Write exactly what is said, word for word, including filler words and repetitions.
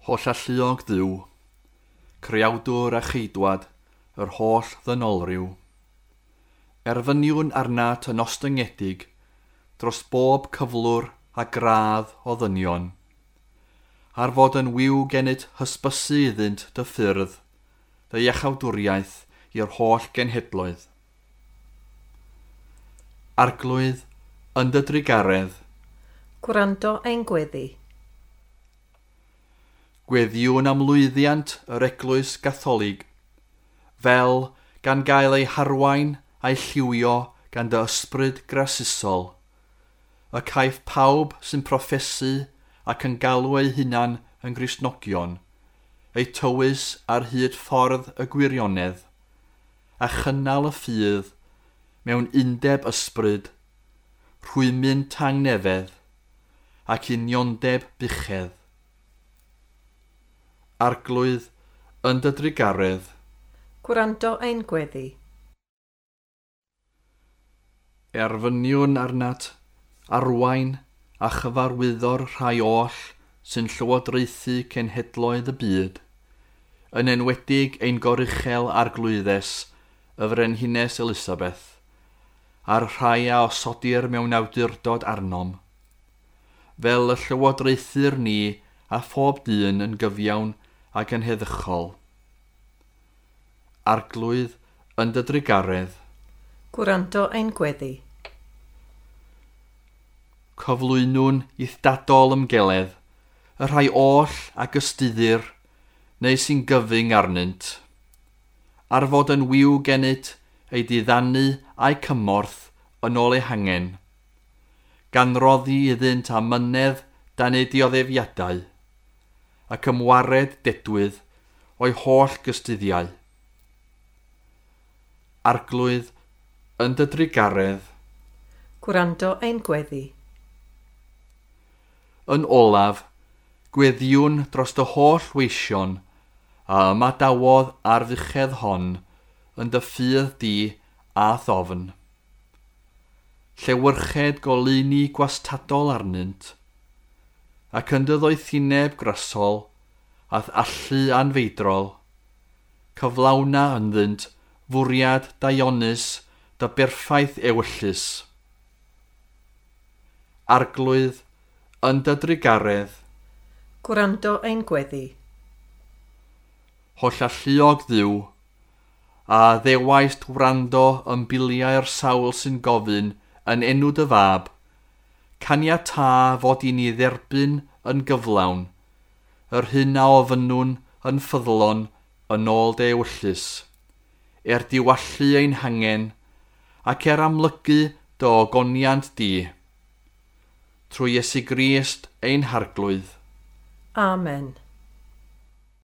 Hollalluog Dduw, creawdwr a cheidwad yr holl ddynolryw. Erfyniwn arnat yn ostyngedig dros bob cyflwr a gradd o ddynion, ar fod yn wiw gennyt hysbysu iddynt dy ffyrdd, dy iachawdwriaeth i'r holl genhedloedd. Arglwydd, yn dy drugaredd, Gwrando ein gweddi. Gweddïwn am lwyddiant yr Eglwys Gatholig, fel gan gael ei harwain a'i lliwio gan dy ysbryd grasusol, y caiff pawb sy'n proffesu ac yn galw eu hunan yn Gristnogion, eu tywys ar hyd ffordd y gwirionedd, a chynnal y ffydd mewn undeb ysbryd, rhwymyn tangnefedd, ac uniondeb buchedd. Arglwydd, yn dy drugaredd, Gwrando ein gweddi. Erfyniwn arnat, arwain a chyfarwyddo'r rhai oll sy'n llywodraethu cenhedloedd y byd, yn enwedig ein goruchel arglwyddes, y Frenhines Elisabeth, a'r rhai a osodir mewn awdurdod arnom, fel y llywodraethir ni a phob dyn yn gyfiawn ac yn heddychol. Arglwydd, yn dy drugaredd, Gwrando ein gweddi. Cyflwynwn i'th dadol ymgeledd, y rhai oll a gystuddir, neu sy'n gyfyng arnynt, ar fod yn wiw gennyt ei diddanu a'i cymorth yn ôl eu hangen, gan roddi iddynt amynedd dan eu dioddefiadau, ac ymwared dedwydd o'i holl gystuddiau. Arglwydd, yn dy drugaredd, Gwrando ein gweddi. Yn olaf, gweddïwn dros dy holl weision a ymadawodd ar fuchedd hon yn dy ffydd di a thofn. Llewyrched goleuni gwastadol arnynt, ac yn dy ddoethineb grasol a'th allu anfeidrol, cyflawna ynddynt fwriad daionus dy berffaith ewyllys. Arglwydd, yn dy drugaredd, Gwrando ein gweddi. Hollalluog Dduw, a ddewaist wrando yn biliau'r sawl sy'n gofyn yn enw dy fab, caniatâ fod i ni dderbyn yn gyflawn, yr hyn a ofynnwn yn ffyddlon yn ôl dy ewyllys, er diwallu ein hangen, ac er amlygu dy ogoniant di. Trwy Iesu Grist ein Harglwydd. Amen.